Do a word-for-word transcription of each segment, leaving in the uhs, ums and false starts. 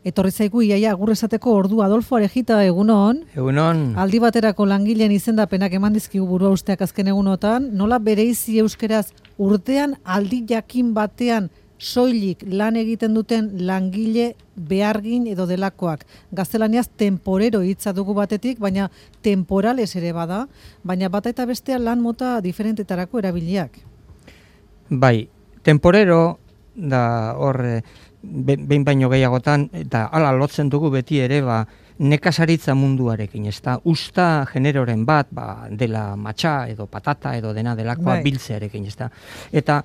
Etorri zaigu iaia agur esateko ordu Adolfo Arejita, egunon. Egunon. Aldi baterako langileen izendapenak eman dizkigu burua usteak azken egunotan, nola bereizi euskeraz urtean aldi jakin batean soilik lan egiten duten langile behargin edo delakoak. Gaztelaniaz temporero hitza dugu batetik, baina temporales ere bada, baina bata eta bestea lan mota diferentetarako erabiliak. Bai, temporero da hor behin baino gehiagotan, eta hala lotzen dugu beti ere, ba, nekazaritza munduarekin, ez da, usta generoren bat, ba, dela matxa edo patata edo dena delakoa bai. Biltzearekin, ez da. Eta,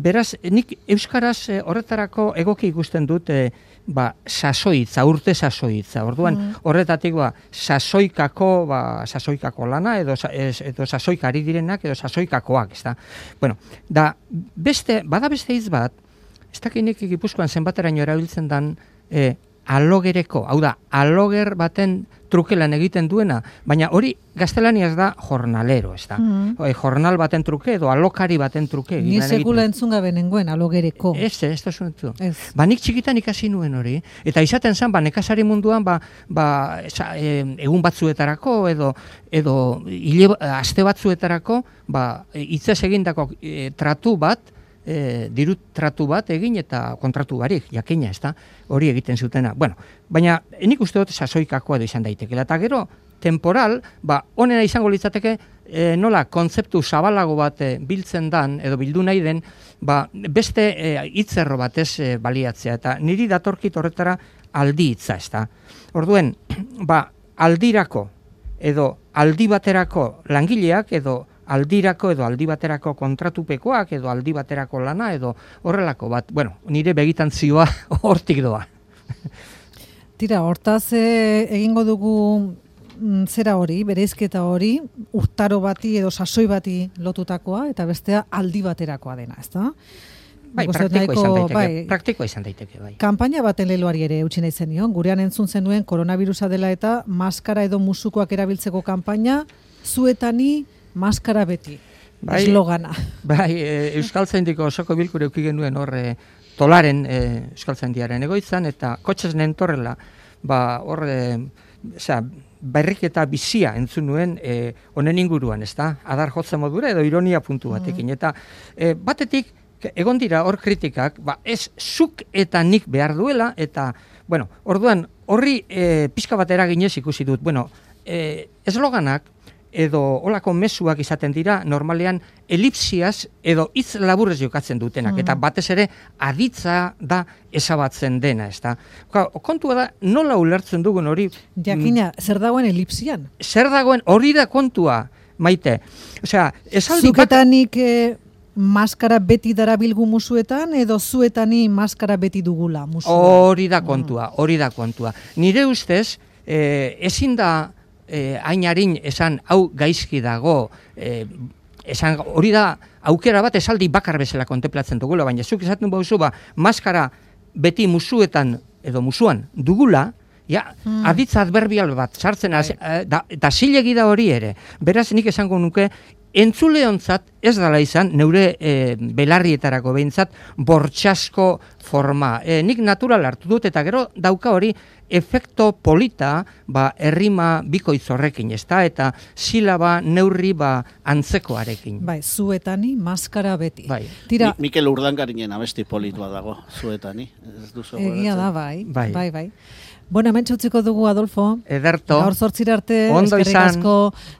beraz, nik euskaraz horretarako egoki ikusten dut, e, ba, sasoitza, urte sasoitza. Orduan, mm. horretatik, ba, sasoikako, ba, sasoikako lana, edo, edo sasoikari direnak, edo sasoikakoak, ez da. Bueno, da, beste, bada beste hitz bat, ez dakinik Gipuzkoan zenbateraino erabiltzen dan, e, alogereko, hau da, aloger baten trukelan egiten duena, baina hori gaztelaniaz da jornalero, ez da. Mm. O, jornal baten truke edo alokari baten truke. Ni sekula entzun gabe nengoen alogereko. Ez, ez da zuen zu. Ba, nik txikitan ikasi nuen hori, eta izaten zen, ba, nekazari munduan, ba, ba, esa, e, egun batzuetarako, edo, edo hile, aste batzuetarako, ba, hitzez egindako e, tratu bat, E, diru tratu bat egin eta kontratu barik, jakina, ez da, hori egiten zutena. Bueno, baina nik uste dut sasoikakoa edo izan daitekela. Eta gero, temporal, ba, onena izango litzateke, e, nola, kontzeptu zabalago bat e, biltzen dan, edo bildu nahi den, ba, beste e, hitzerro batez e, baliatzea. Eta niri datorkit horretara aldi hitza, ez da. Orduen, ba, aldirako, edo aldi baterako langileak, edo aldirako edo aldi baterako kontratupekoak edo aldi baterako lana edo horrelako bat. Bueno, nire begitantzioa hortik doa. Tira, hortaz e, egingo dugu m, zera hori, bereizketa hori, urtaro bati edo sasoi bati lotutakoa eta bestea aldi baterakoa dena, ezta? Bai, praktikoa izan daiteke, bai, praktikoa izan daiteke, bai. Kanpaina baten leloari ere eutsi nahi zenion, gurean entzun zenuen koronavirusa dela eta maskara edo musukoak erabiltzeko kanpaina, zuetani maskara beti, bai, eslogana. Bai, e, Euskaltzaindiko osoko bilkure uki genuen hor e, Tolaren e, Euskaltzaindiaren egoitzan, eta kotxez nentorrela, ba, hor, e, osea, berriketa bizia entzun nuen e, honen inguruan, ez da? Adar jotzen modura edo ironia puntu batekin. Mm. Eta e, batetik, egon dira hor kritikak, ba, ez zuk eta nik behar duela, eta, bueno, orduan, horri e, pixka bat eraginez ikusi dut, bueno, e, esloganak, edo olako mezuak izaten dira, normalean elipsiaz edo hitz laburrez jokatzen dutenak, mm. eta batez ere aditza da ezabatzen dena, ez da. Kontua da, nola ulertzen dugun hori... Jakina, zer dagoen elipsian? Zer dagoen, hori da kontua, Maite. Osea, esaldi bat... Zuketanik eh, maskara beti darabilgu musuetan, edo zuetani maskara beti dugula musuetan? Hori da kontua, hori da kontua. Nire ustez, eh, ezin da... Eh, ainarin esan hau gaizki dago, eh, esan hori da aukera bat esaldi bakar bezala kontemplatzen dugula, baina zuk esaten bauzu, ba, maskara beti musuetan edo musuan dugula, ja, hmm. aditza adverbial bat sartzen, az, eh, da, eta zilegi da hori ere. Beraz, nik esango nuke, entzuleontzat ez dala izan, neure e, belarrietarako behintzat, bortxasko forma. E, nik natural hartu dut, eta gero dauka hori efekto polita, ba, errima bikoitz horrekin, ezta? Eta silaba neurri ba, antzekoarekin. Bai, zuetani, maskara beti. Bai. Tira, Mi, Mikel Urdangarinen abesti polit bat dago, zuetani. Ez duzu egia da, bai, bai, bai, bai. Bueno, hemen txutziko dugu, Adolfo. Ederto. Gaur zortzira arte, ondo eskerrik izan. asko